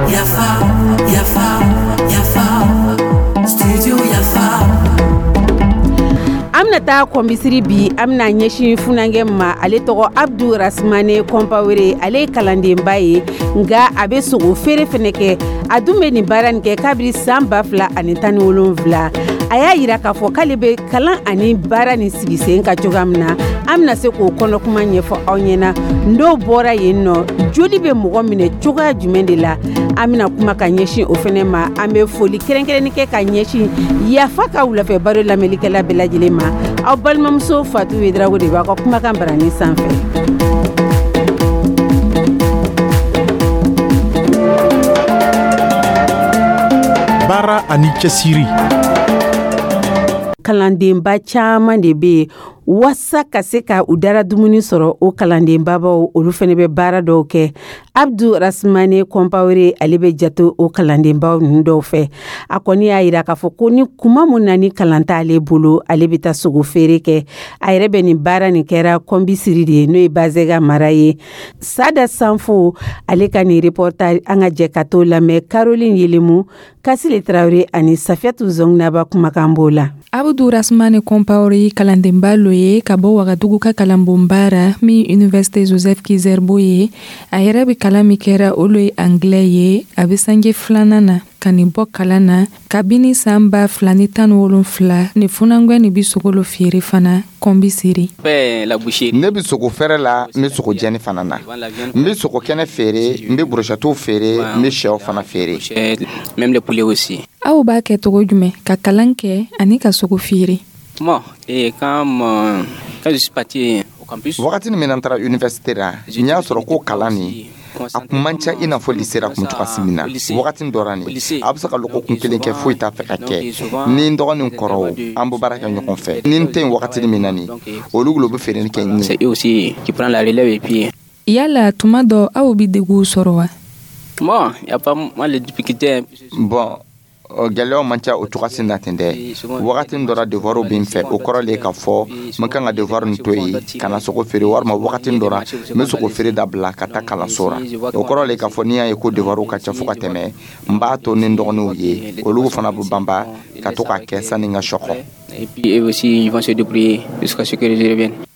Yafa, yafa, yafa, studio Yafa. An bɛna taa Kɔnbisiri bi, an bɛna ɲɛsin funankɛ ma, ale tɔgɔ Abdu Rasmane Kɔnpawere. Ale ye kalandenba ye, nka a bɛ sogo feere fana kɛ. A dun bɛ nin baara nin kɛ kabiri san 2017. A y'a yira k'a fɔ k'ale bɛ kalan ani baara nin sigi sen ka cogoya min na, an bɛna se k'o kɔnɔkuma ɲɛfɔ aw ɲɛna. N'o bɔra yen nɔ, joli bɛ mɔgɔ minɛ cogoya jumɛn de la? An bɛna kuma ka ɲɛsin o fana ma. An bɛ foli kɛrɛnkɛrɛnni kɛ ka ɲɛsin Yafa ka wulafɛ baro lamɛnlikɛla bɛɛ lajɛlen ma. Aw balimamuso Fatu Wedrago de b'aw ka kumakan barani sanfɛ. Baara ani cɛsiri. Kalandenba caman de bɛ yen, waasa ka se ka u dara dumuni sɔrɔ, o kalandenbabaw olu fana bɛ baara dɔw kɛ. Abdu Rasmane Kɔnpawere, ale bɛ jate o kalandenbaw ninnu dɔw fɛ. A kɔni y'a yira k'a fɔ ko ni kuma mun na ni kalan t'ale bolo, ale bɛ taa sogo feere kɛ. A yɛrɛ bɛ nin baara nin kɛra Kɔnbisiri de ye, n'o ye Bazɛga mara ye. Sada Sanfo, ale ka nin reportage, an ka jɛ ka t'o lamɛn. Caroline Yelemu, Kasile Tarawele ani Safiyatu Zɔnginaba kumakan b'o la. Abdu Rasmane Kɔnpawere, kalandenba lo ye ka bɔ Wagadugu ka kalanbonba ra min Université Joseph Kizerbo ye. A yɛrɛ bɛ kalan min kɛra, o lo ye anglais ye. A bɛ sanji filanan na ka nin bɔ kalan na kabini san 2017. Ni funankɛ nin bɛ sogo lo feere fana Kɔnbisiri. Ne bɛ sogo fɛrɛ la, n bɛ sogo jɛni fana na, n bɛ sogo kɛnɛ feere, n bɛ brochettes feere, n bɛ sɛw fana feere. Aw b'a kɛ cogo jumɛn ka kalan kɛ ani ka sogo feere? Wagati min na n taara université la, n y'a sɔrɔ ko kalan nin a kun man ca i n'a fɔ lycée la kun cogoya min na. Wagati dɔ la nin, a bɛ se ka lɔgɔkun kelen kɛ, foyi t'a fɛ ka kɛ. Ni n dɔgɔnin kɔrɔw, an bɛ baara kɛ ɲɔgɔn fɛ. Ni n tɛ yen wagati min na nin, olu bɛ feereli kɛ n ye. Yala tuma dɔ aw bɛ degun sɔrɔ wa? Bon, gɛlɛyaw man ca o cogoya na ten dɛ. Wagati dɔ la, devoir bɛ n fɛ, o kɔrɔ le k'a fɔ n kan ka devoir nin to yen ka na sogo feere, walima wagati dɔ la, n bɛ sogo feere dabila ka taa kalanso la. O kɔrɔ le k'a fɔ n'i y'a ye ko devoir ka ca fo ka tɛmɛ, n b'a to ni n dɔgɔninw ye, olu fana bɛ banba ka to k'a kɛ sani n ka sɔkɔ.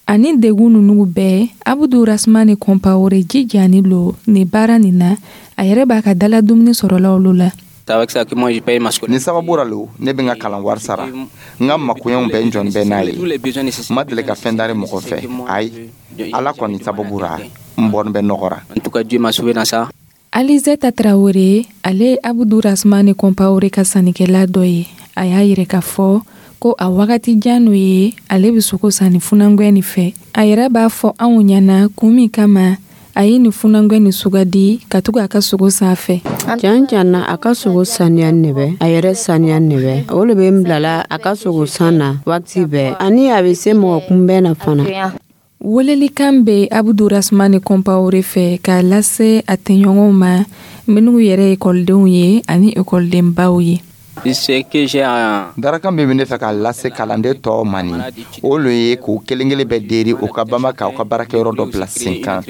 Ani degun ninnu bɛɛ, Abudu Rasmane Kɔnpawore jijani lo nin baara nin na. A yɛrɛ b'a ka dala dumuni sɔrɔla olu la. Nin sababu la lo ne bɛ n ka kalan wari sara, n ka makoɲɛw bɛɛ, n jɔn bɛɛ n'a ye. N ma deli ka fɛn dari mɔgɔ fɛ, ayi. Ala kɔni sababu la, n bɔnin bɛ nɔgɔ ra. Alizeta Tarawele, ale ye Abudu Rasmane Kɔnpawore ka sannikɛla dɔ ye. A y'a yɛrɛ k'a fɔ ko a wagati jan n'o ye ale bɛ sogo sanni funankɛ nin fɛ. A yɛrɛ b'a fɔ anw ɲɛna kun min kama a ye nin funankɛ nin sugandi ka tugu a ka sogo san fɛ. Can can na, a ka sogo saniya ne bɛ, a yɛrɛ saniya ne bɛ, o le bɛ n bilala a ka sogo san na waati bɛɛ, ani a bɛ se mɔgɔ kunbɛn na fana. Welelikan bɛ Abudu Rasmane Kɔnpawore fɛ k'a lase a tɛɲɔgɔnw ma minnu yɛrɛ ekɔlidenw ye ani ekɔlidenbaw ye. Darakan min bɛ ne fɛ k'a lase kalanden tɔw ma nin, o lo ye k'u kelen kelen bɛɛ deri u ka banba k'aw ka baarakɛyɔrɔ dɔ bila sen kan.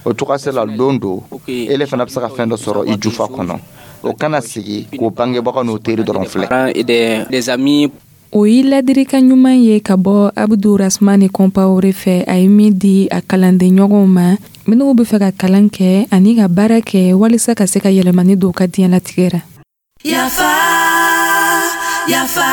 O cogoya la, don do ele fana bɛ se ka fɛn dɔ sɔrɔ i jufa kɔnɔ. O kana sigi k'o bangebagaw n'o teri dɔrɔn filɛ. O ye ladirikan ɲuman ye ka bɔ Abudu Rasmane Kɔnpawore fɛ, a ye min di a kalandenɲɔgɔnw ma minnu bɛ fɛ ka kalan kɛ ani ka baara kɛ walisa ka se ka yɛlɛmani don u ka diɲɛlatigɛ ra. Yafa, yafa,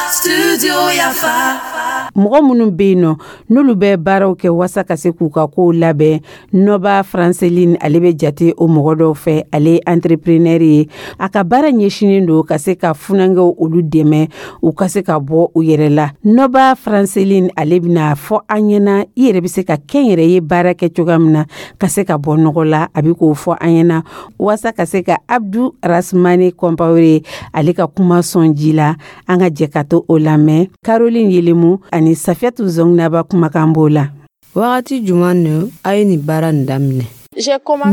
studio Yafa. Mɔgɔ minnu bɛ yen nɔ, n'olu bɛ baaraw kɛ waasa ka se k'u ka kow labɛn, Nɔba Franceline, ale bɛ jate o mɔgɔ dɔw fɛ. Ale ye entrepreneur ye. A ka baara ɲɛsinnen don ka se ka funankɛw olu dɛmɛ u ka se ka bɔ u yɛrɛ la. Nɔba Franceline, ale bɛna fɔ an ɲɛna i yɛrɛ bɛ se ka kɛnyɛrɛye baara kɛ cogoya min na ka se ka bɔ nɔgɔ la. A bɛ k'o fɔ an ɲɛna waasa ka se ka Abdu Rasmane Kɔnpawore ale ka kuma sɔn ji la. An ka jɛ ka to o lamɛn. Caroline Yelemu ani Safiyatu Zɔnginaba kumakan b'o la. Wagati jumɛn ni a ye nin baara nin daminɛ?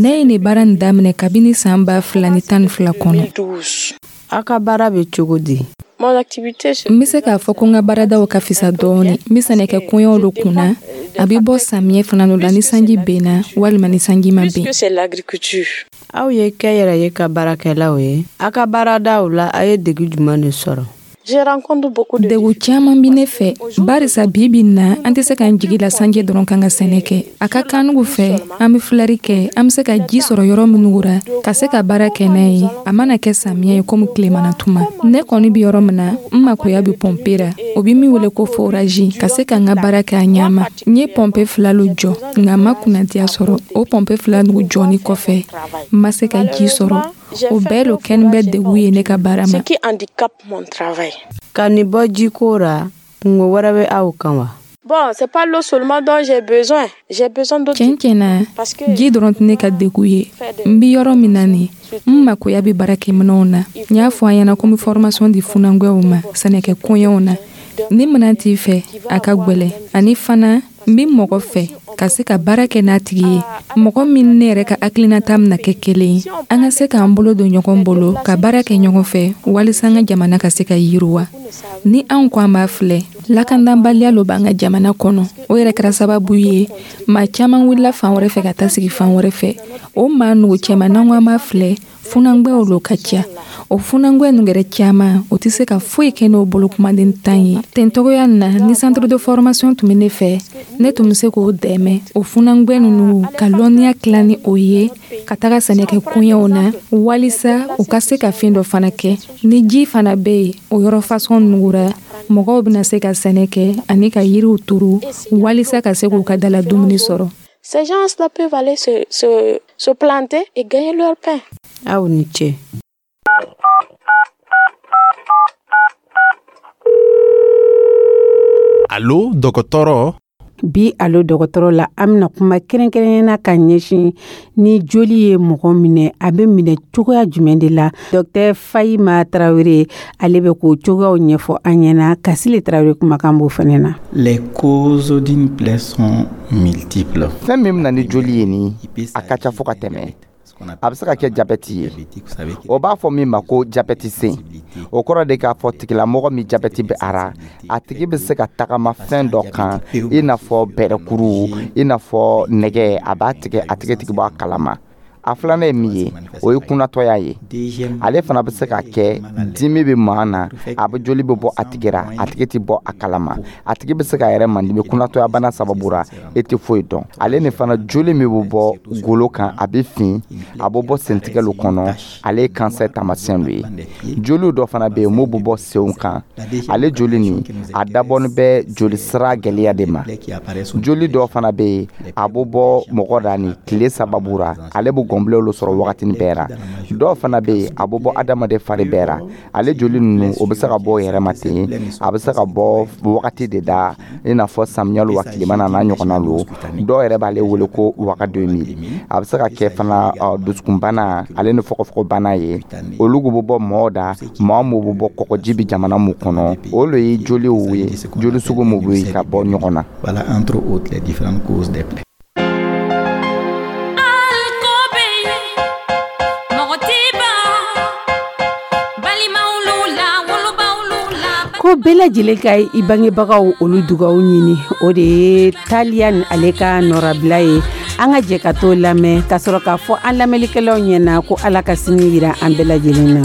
Ne ye nin baara nin daminɛ kabini san 2012 kɔnɔ. Aw ka baara bɛ cogo di? Mon activité. N bɛ se k'a fɔ ko n ka baaradaw ka fisa dɔɔni. N bɛ sɛnɛkɛ koɲɛw lo kunna. A bɛ bɔ samiyɛ fana lo la, ni sanji benna walima ni sanji ma ben. C'est l'agriculture. Aw ye kɛnyɛrɛye ka baarakɛlaw ye. A ka baaradaw la, a ye degu jumɛn de sɔrɔ? Degu caman bi ne fɛ, barisa bi bi na, an tɛ se k'an jigi la sanji dɔrɔn kan ka sɛnɛ kɛ. A ka kanugu fɛ, an be filɛri kɛ, an be se ka ji sɔrɔ yɔrɔ minnu ra ka se ka baara kɛ n'a ye, a mana kɛ samiya ye komi tilemana tuma. Ne kɔni bi yɔrɔ min na, n makoya bi pɔnpe ra, o bi min wele ko forage, ka se ka n ka baara kɛ a ɲama. N ye pɔnpe fila lo jɔ, nka n ma kunnadiya sɔrɔ. O pɔnpe fila nugu jɔni kɔfɛ, n ma se ka ji sɔrɔ. O bɛɛ lo kɛni bɛ degu ye ne ka baara ma. Ka nin bɔ jiko ra, kungo wɛrɛ bɛ aw kan wa? Bon, c'est pas l'eau seulement dont j'ai besoin. J'ai besoin d'autres. Tiɲɛ tiɲɛ na, ji dɔrɔn tɛ ne ka degu ye. N bi yɔrɔ min na nin, n makoya bɛ baarakɛminɛnw na. N y'a fɔ an ɲɛna ko n bɛ formation di funankɛw ma sɛnɛkɛ koɲɛw na. Ni minɛn t'i fɛ, a ka gwɛlɛ. Ani fana, n bi mɔgɔ fɛ ka se ka baara kɛ n'a tigi ye, mɔgɔ min ne yɛrɛ ka hakilinata bɛna kɛ kelen ye, an ka se k'an bolo don ɲɔgɔn bolo ka baara kɛ ɲɔgɔn fɛ, walisa an ka jamana ka se ka yiriwa. Ni anw ko an b'a filɛ, lakandanbaliya lo b'an ka jamana kɔnɔ. O yɛrɛ kɛra sababu ye maa caman wulila fan wɛrɛ fɛ ka taa sigi fan wɛrɛ fɛ. O maa nugu cɛman, n'an ko an b'a filɛ, funangwɛw lo ka ca. O funangwɛ nu yɛrɛ caman, o tɛ se ka foyi kɛ n'o bolo kumaden tan ye. Ten togoya na, ni centre de formation tun bɛ ne fɛ, ne tun bɛ se k'o dɛmɛ, o funangwɛ nunu, ka lɔnniya tila ni o ye ka taga sɛnɛkɛ koɲɛw na, walisa u ka se ka fɛn dɔ fana kɛ. Ni ji fana bɛ yen, o yɔrɔ fasɔn nugura, mɔgɔw bɛna se ka sɛnɛ kɛ ani ka yiriw turu, walisa ka se k'u ka dala dumuni sɔrɔ. Ces gens-là peuvent aller se planter et gagner leur pain. Aw ni ce. Alo dɔgɔtɔrɔ. Bi Alo dɔgɔtɔrɔ la, an bɛna kuma kɛrɛnkɛrɛnnenya ka ɲɛsin ni joli ye mɔgɔ minɛ, a bɛ minɛ cogoya jumɛn de la. Dɔktɛr Fayima Tarawele, ale bɛ k'o cogoyaw ɲɛfɔ an ɲɛna. Kasile Tarawele kumakan b'o fana na. Les causes d'une plaie sont multiples. Fɛn min bɛna ni joli ye nin, a ka ca fo ka tɛmɛ. A bɛ se ka kɛ jabɛti ye, o b'a fɔ min ma ko jabɛti sen. O kɔrɔ de k'a fɔ tigilamɔgɔ min jabɛti bɛ a ra, a tigi bɛ se ka tagama fɛn dɔ kan, i n'a fɔ bɛrɛkuru, i n'a fɔ nɛgɛ, a b'a tigɛ, a tigi tigi bɔ a kalama. A filanan ye min ye, o ye kunnatɔya ye. Ale fana bɛ se ka kɛ dimi bɛ maa na, a bɛ joli bɛ bɔ a tigi ra, a tigi tɛ bɔ a kalama, a tigi bɛ se k'a yɛrɛ mandimi kunnatɔya bana sababu ra, e tɛ foyi dɔn. Ale ni fana, joli min bɛ bɔ golo kan, a bɛ fin, a bɛ bɔ sentigɛlu kɔnɔ, ale ye kansɛri taamasiyɛn dɔ ye. Joliw dɔ fana bɛ yen mun bɛ bɔ senw kan. Ale joli nin, a dabɔnin bɛ joli sira gɛlɛya de ma. Joli dɔ fana bɛ yen, a bɛ bɔ mɔgɔ da ni tile sababu ra, ale bɛ gɔnbilenw sɔrɔ wagatinin bɛɛ ra. Dɔw fana bɛ yen, a bɛ bɔ adamaden fari bɛɛ ra. Ale joli ninnu, o bɛ se ka bɔ yɛrɛ ma ten, a bɛ se ka bɔ wagati de da, i n'a fɔ samiya lo wa tilema na n'a ɲɔgɔnna lo. Dɔw yɛrɛ b'ale wele ko wagadomi. A bɛ se ka kɛ fana dusukunbana, ale ni fɔgɔfɔgɔbana ye. Olu bɛ bɔ mɔgɔ da, maa mun bɛ bɔ kɔgɔji bɛ jamana mun kɔnɔ. Olu ye joliw ye, joli sugu mun bɛ ka bɔ ɲɔgɔn na. Voilà entre autres les différentes causes des plaies. Ko bɛɛ lajɛlen ka i bangebagaw olu dugaw ɲini, o de ye Taliya ni ale ka nɔrabila ye. An ka jɛ ka t'o lamɛn ka sɔrɔ k'a fɔ an lamɛnlikɛlaw ɲɛna ko Ala ka sini yira an bɛɛ lajɛlen na.